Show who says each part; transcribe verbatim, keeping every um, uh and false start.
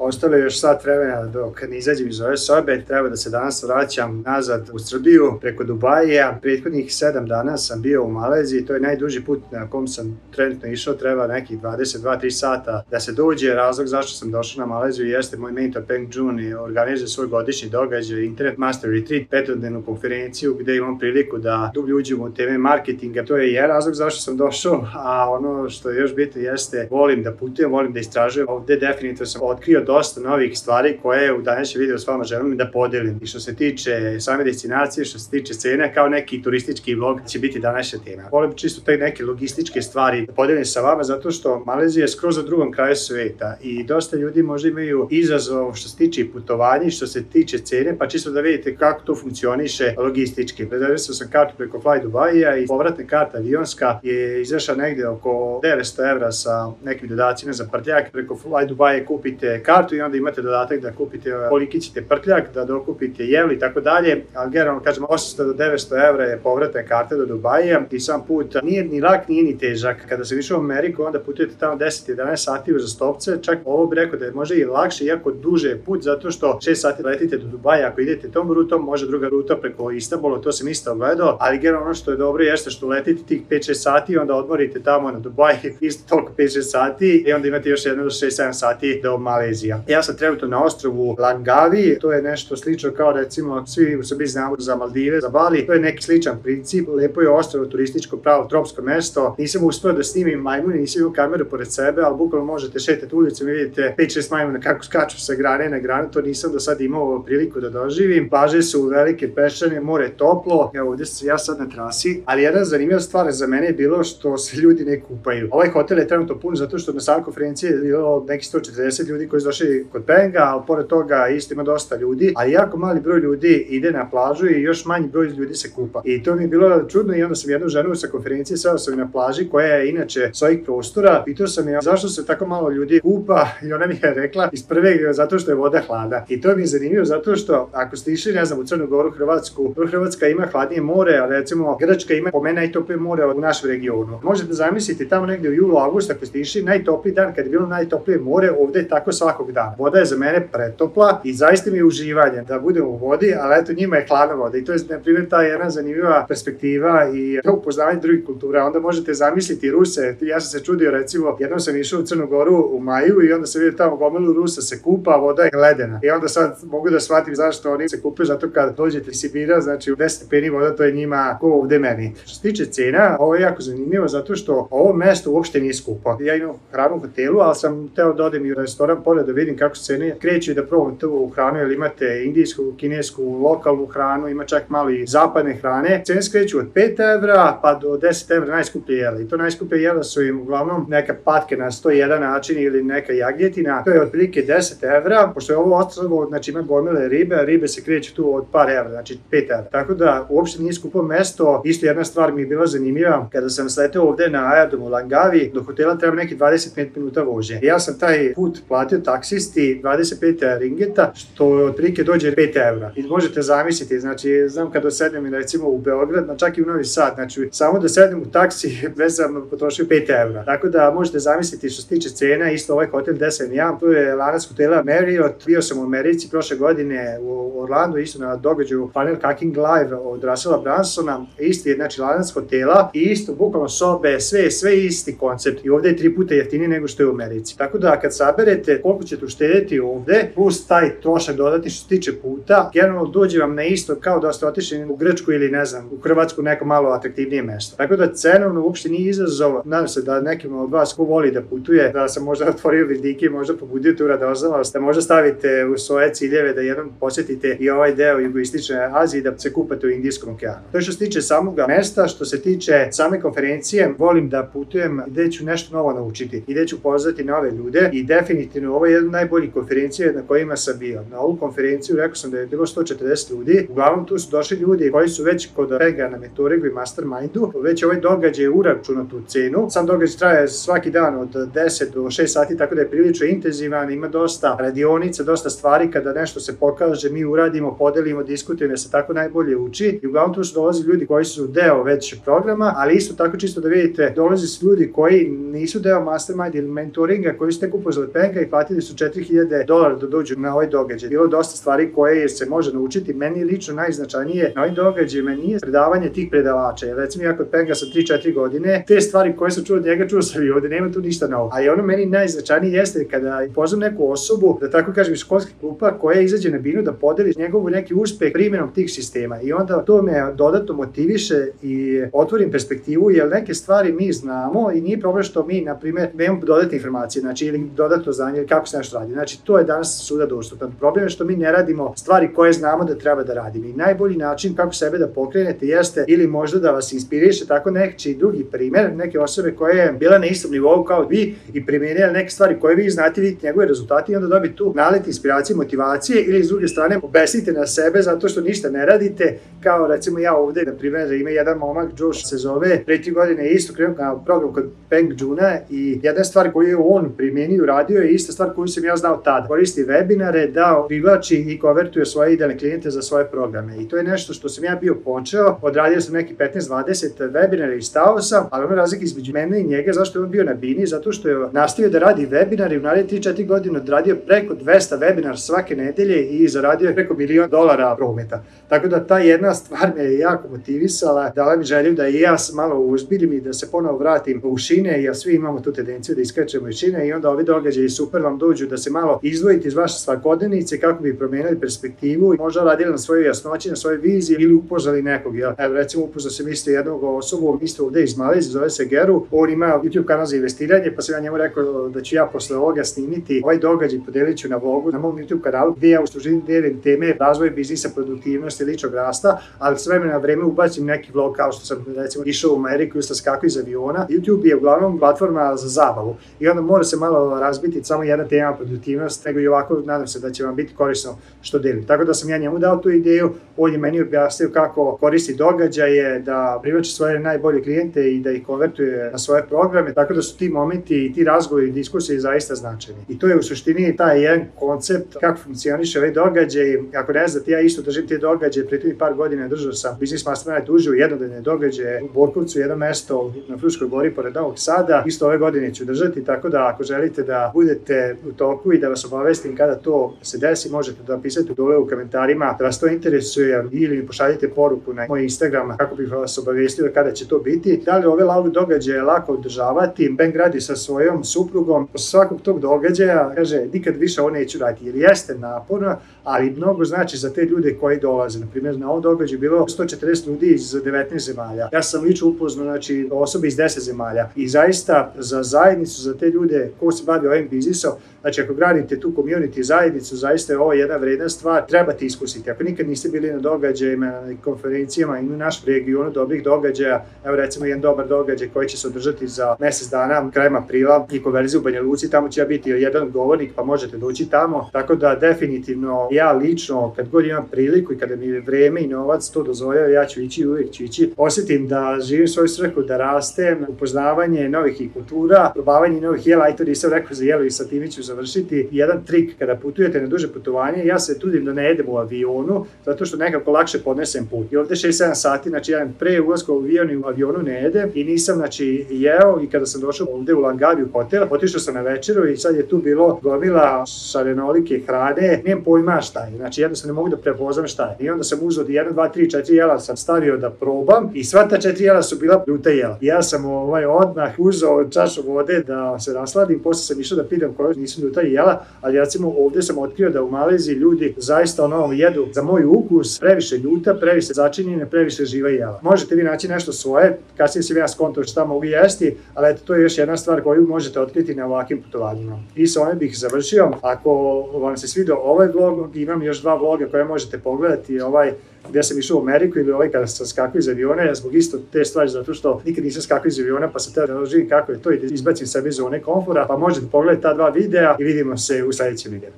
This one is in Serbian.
Speaker 1: ostalo je još sat vremena dok ne izađem iz ove sobe, treba da se danas vraćam nazad u Srbiju preko Dubaija. Prethodnih sedam dana sam bio u Maleziji, to je najduži put na kom sam trenutno išao, treba nekih dvadeset dva do tri sata da se dođe. Razlog zašto sam došao na Maleziju jeste moj mentor Peng Joon i organizuje svoj godišnji događaj Internet Master Retreat, petodnevnu konferenciju gde imam priliku da dublje uđem u teme marketinga. To je jedan razlog zašto sam došao, a ono što je još bitno jeste volim da putujem, volim da istražujem. Ovde definitivno sam otkrio dosta novih stvari koje u današnjem videu s vama želim da podelim. I što se tiče same destinacije, što se tiče cene, kao neki turistički vlog će biti današnja tema. Volim čisto te neke logističke stvari da podelim sa vama, zato što Malezija je skroz na drugom kraju sveta i dosta ljudi možda imaju izazov što se tiče putovanja, što se tiče cene, pa čisto da vidite kako to funkcioniše logistički. Rezervisao sam kartu preko Fly Dubaija i povratna karta avionska je izašla negde oko devetsto evra sa nekim dodacima za prtljak. Preko Fly Dubaija kupite kartu i onda imate dodatak da kupite koliki ćete prtljak, da dokupite jel i tako dalje, ali generalno kažem osamsto do devetsto evra je povratna karta do Dubaija i sam put nije ni lak, nije ni težak. Kada sam išao u Ameriku, onda putujete tamo deset do jedanaest sati uzastopce, čak ovo bih rekao da je možda i lakše, iako duže put, zato što šest sati letite do Dubaja. Ako idete tom rutom, može druga ruta preko Istanbula, to sam isto gledao, ali generalno ono što je dobro jeste što letite tih pet šest sati i onda odmorite tamo na Dubai isto toliko pet šest sati i onda imate još jedno do šest sedam sati do Malezija. Ja sam trenutno na ostrvu Langkawi, to je nešto slično kao recimo svi u Srbiji znamo za Maldive, za Bali, to je neki sličan princip, lepo je ostrvo, turističko, pravo tropsko mesto. Nisam uspeo da snimim majmune, nisam imao kameru pored sebe, ali bukvalno možete šetati ulicom i vidite pet šest majmuna kako skaču sa grane na granu, to nisam do sad imao priliku da doživim. Plaže su velike, peščane, more je toplo, evo ovdje sam ja sad na trasi, ali jedna zanimljiva stvar za mene je bilo što se ljudi ne kupaju. Ovaj hotel je trenutno pun zato što na samoj konferenciji je bilo nekih sto četrdeset ljudi koji su došli kod Penga, ali pored toga isto ima dosta ljudi, ali jako mali broj ljudi ide na plažu i još manji broj ljudi se kupa. I to mi je bilo čudno i onda sam jednu ženu sa konferencije seo sam na plaži koja je inače svojih prostora, pitao sam je zašto se tako malo ljudi kupa i ona mi je rekla iz prve zato što je voda hladna. I to mi je zanimljivo zato što ako ste išli, ne znam, u Crnu Goru, Hrvatsku, Hrvatska ima hladnije more, a recimo Grčka ima po meni najtoplije more u našem regionu. Možete zamisliti tamo negdje u julu, avgustu ako ste išli, najtopliji dan kad je bilo najtoplije more, ovdje je tako svakog dana. Voda je za mene pretopla i zaista mi je uživanje da budem u vodi, ali eto njima je hladna voda i to je na primjer ta jedna zanimljiva perspektiva i upoznavanje drugih kultura. Onda možete zamisliti Ruse, ja sam se čudio recimo, jednom sam išao u Crnu Goru u maju i onda se vidio tamo gomilu Rusa se kupa, a voda je ledena. I onda sad mogu da shvatim zašto oni se kupaju, zato kad dođete iz Sibira, znači u deset stepeni voda, to je njima ko ovde meni. Što se tiče cena, ovo je jako zanimljivo zato što ovo mesto uopšte nije skupo. Ja imam hranu u hotelu, ali sam teo da odem i u restoran pored da vidim kako se cene kreću i da probam tu hranu, jer imate indijsku, kinesku, lokalnu hranu, ima čak malo i zapadne hrane. Cene se kreću od pet evra pa do deset evra najskuplje jela. I to najskuplje jela su im uglavnom neka patke na sto jedan način ili neka jagnjetina. To je otprilike deset evra, pošto je ovo ostrvo, znači ima gomile ribe, a ribe se kreću tu od par evra, znači pet evra. Tako da uopšte nije skupo mesto. Isto jedna stvar mi je bila zanimljiva, kada sam sleteo ovde na aerodromu Langkawi, do hotela treba neki dvadeset pet minuta vožnje. Ja sam taj put platio taksisti dvadeset pet ringeta, što otprilike dođe pet evra. I možete zamisliti, znači znam kada sednem recimo u Beograd, na čak i u Novi Sad, znači samo da sednem u taksi već sam potrošio pet evra. Tako da možete zamisliti što se tiče cena, isto ovaj hotel gde sam ja, to je lanac hotela Marriott. Bio sam u Americi prošle godine u Orlandu, isto na događaju Funnel Hacking Live od Russella Brunsona, isti je znači lanac hotela i isto bukvalno sobe, sve, sve isti koncept i ovde je tri puta jeftinije nego što je u Americi. Tako da kad saberete koliko ćete uštedeti ovde, plus taj trošak dodati što se tiče puta, generalno dođe vam na isto kao da ste otišli u Grčku ili ne znam, u Hrvatsku neko malo atraktivnije mesto. Tako da cenovno uopšte nije izazov. Nadam se da nekim od vas ko voli da putuje, da sam možda otvorio vidike, možda pobudio tu radoznalost, da možda stavite u svoje ciljeve da jednom posjetite i ovaj deo jugoistočne Azije da se kupate u Indijskom okeanu. To je što se tiče samog mesta, što se tiče same konferencije, volim da putujem gde ću nešto novo naučiti i gde ću poznati nove ljude i definitivno ovo je jedna od najboljih konferencija na kojima sam bio. Na ovu konferenciju rekao sam da je bilo sto četrdeset ljudi, uglavnom tu su došli ljudi koji su već kod Penga na mentoringu i mastermindu, već ovaj događaj je uračunat u cenu. Sam događaj traje svaki dan od deset do šest sati, tako da je prilično intenzivan, ima dosta radionica, dosta stvari, kada nešto se pokaže, mi uradimo, podelimo, diskutujemo, jer se tako najbolje uči i uglavnom tu su dolazi ljudi koji su deo već programa, ali isto tako čisto da vidite, dolazi su ljudi koji nisu deo mastermind ili mentoringa, koji su tek upoznali Penga i platili su četiri hiljade dolara da dođu na ovaj događaj. Bilo dosta stvari koje se može naučiti. Meni lično najznačajnije na ovim događajima nije predavanje tih predavača. Jer recimo ja kod Penga sam tri četiri godine, te stvari koje sam čuo od njega, čuo sam i ovde, nema tu ništa novo. Ali ono meni najznačajnije jeste kada poznam neku osobu, da tako kažem iz školskih klupa, koja izađe na binu da podeli njegovu neki uspeh primjenom tih sistema. I onda to me dodatno motiviše i otvorim perspektivu, jer neke stvari mi znamo i nije problem što mi, na primjer, nemamo dodatne informacije, znači ili dodatno znanje ili kako se nešto radi. Znači to je danas svuda dostupno. Problem je što mi ne radimo stvari koje znamo da treba da radimo. I najbolji način kako sebe da pokrenete jeste ili možda da vas inspiriše tako neki drugi primjer, neke osobe koje je bila na istom nivou kao vi i primjenjala neke stvari koje vi znate, vidite njegove rezultate i onda dobiti tu nalet inspiracije, motivacije, ili s druge strane obesnite na sebe zato što ništa ne radite, kao recimo ja ovde, na primjer, ima jedan momak, Josh se zove, pre tri godine isto krenuo na program kod Peng Juna i jedna stvar koju je on primjenio, radio je ista stvar koju sam ja znao tada. Koristi webinare da privlači i konvertuje svoje idealne klijente za svoje programe. I to je nešto što sam ja bio počeo, odradio sam neki petnaest dvadeset webinara i stao sam, ali ono razlika između mene i njega, zašto je on bio na bini, zato što je nastavio da radi webinare i u naredne tri četiri godine odradio preko dvesta webinara svake nedelje i zaradio preko milion dolara prometa. Tako da ta jedna stvar me je jako motivisala, dala mi želju da i ja malo uzbiljim i da se ponovo vratim u šine, jer svi imamo tu tendenciju da iskačemo iz šine i onda ovi događaji super vam dođu da se malo izdvojite iz vaše svakodnevnice kako bi promenili perspektivu i možda radili na svojoj jasnoći, na svojoj viziji ili upoznali nekog. Ja, evo recimo upoznao sam isto jednog osobu, isto ovde iz Malezije, zove se Geru, on ima YouTube kanal za investiranje, pa sam ja njemu rekao da ću ja posle ovoga snimiti ovaj događaj, podelit ću na vlogu na mom YouTube kanalu gdje ja u suštini delim teme razvoja biznisa, produktivnosti, ličnog rasta, ali s vremena na vreme ubacim neki vlog kao što sam recimo išao u Ameriku i skakao iz aviona. YouTube je uglavnom platforma za zabavu i onda mora se malo razbiti samo jedna tema produktivnost, nego i ovako nadam se da će vam biti korisno što delim. Tako da sam ja njemu dao tu ideju, on je meni objasnio kako koristi događaje, da privlači svoje najbolje klijente i da ih konvertuje na svoje programe, tako da su ti momenti i ti razgovori i diskusije zaista značajni. I to je u suštini taj jedan koncept kako funkcioniše ovaj događaj. Ako ne znate, ja isto držim te događaje, pre par godina držao sam Business Mastermind uživo jednodnevne događaje u Borkovcu, jedno mesto na Fruškoj gori pored Novog Sada. Isto ove godine ću držati, tako da ako želite da budete u toku i da vas obavestim kada to se desi, možete da napisate dole u komentarima da vas to interesuje ili mi pošaljite poruku na moj Instagram kako bih vas obavestio kada će to biti. Da li ove live događaje lako održavati? Ben radi sa svojom suprugom. Posle svakog tog događaja kaže nikad više ovo neću raditi jer jeste naporno, ali mnogo znači za te ljude koji dolaze. Na primjer, na ovom događaju bilo sto četrdeset ljudi iz devetnaest zemalja. Ja sam lično upoznao znači osobe iz deset zemalja i zaista za zajednicu, za te ljude ko se bavi ovim biznisom, znači ako gradite tu community zajednicu, zaista je ovo jedna vredna stvar, trebate iskusiti. Ako nikad niste bili na događajima, na konferencijama i u našem regionu dobrih događaja, evo recimo jedan dobar događaj koji će se održati za mesec dana, krajem aprila i konverziju u Banja Luci, tamo će ja biti jedan govornik pa možete doći tamo, tako da definitivno ja lično kad god imam priliku i kada mi je vreme i novac to dozvoljava, ja ću ići, uvijek ću ići, osjetim da živim svoju svrhu, da rastem, upoznavanje novih i kultura, probavanje novih jela, i to nisam rekao za jelo i sa time ću završiti. Jedan trik kada putujete na duže putovanje, ja se trudim da ne jedem u avionu, zato što nekako lakše podnesem put. I ovde šest sedam sati, znači ja pre ulaska u avion i u avionu ne jedem i nisam znači jeo i kada sam došao ovde u Langaviju hotel, otišao sam na večeru i sad je tu bilo gomila šarenolike hrane, nijem pojma šta je, znači jednostavno ne mogu da prepoznam šta je. I onda sam uzeo jedan, dva, tri, četiri jela sam stavio da probam i sva ta četiri jela su bila ljuta jela. I ja sam ovaj odmah uzeo čašu vode da se rasladim, posle sam išao da pitam koje nisu ljuta jela, ali recimo ovde sam otkrio da u Maleziji ljudi zaista ono jedu za moj ukus previše ljuta, previše začinjene, previše živa jela. Možete vi naći nešto svoje, kasnije sam ja skontao šta mogu jesti, ali eto to je još jedna stvar koju možete otkriti na ovakvim putovanjima. I sa ovim bih završio. Ako vam se svidio ovaj vlog, imam još dva vloga koje možete pogledati, ovaj gdje sam išao u Ameriku ili ovaj kada sam skakao iz aviona, ja zbog isto te stvari zato što nikad nisam skakao iz aviona pa sam teo da doživim kako je to i da izbacim sebe iz zone komfora, pa možete pogledati ta dva videa i vidimo se u sljedećem videu.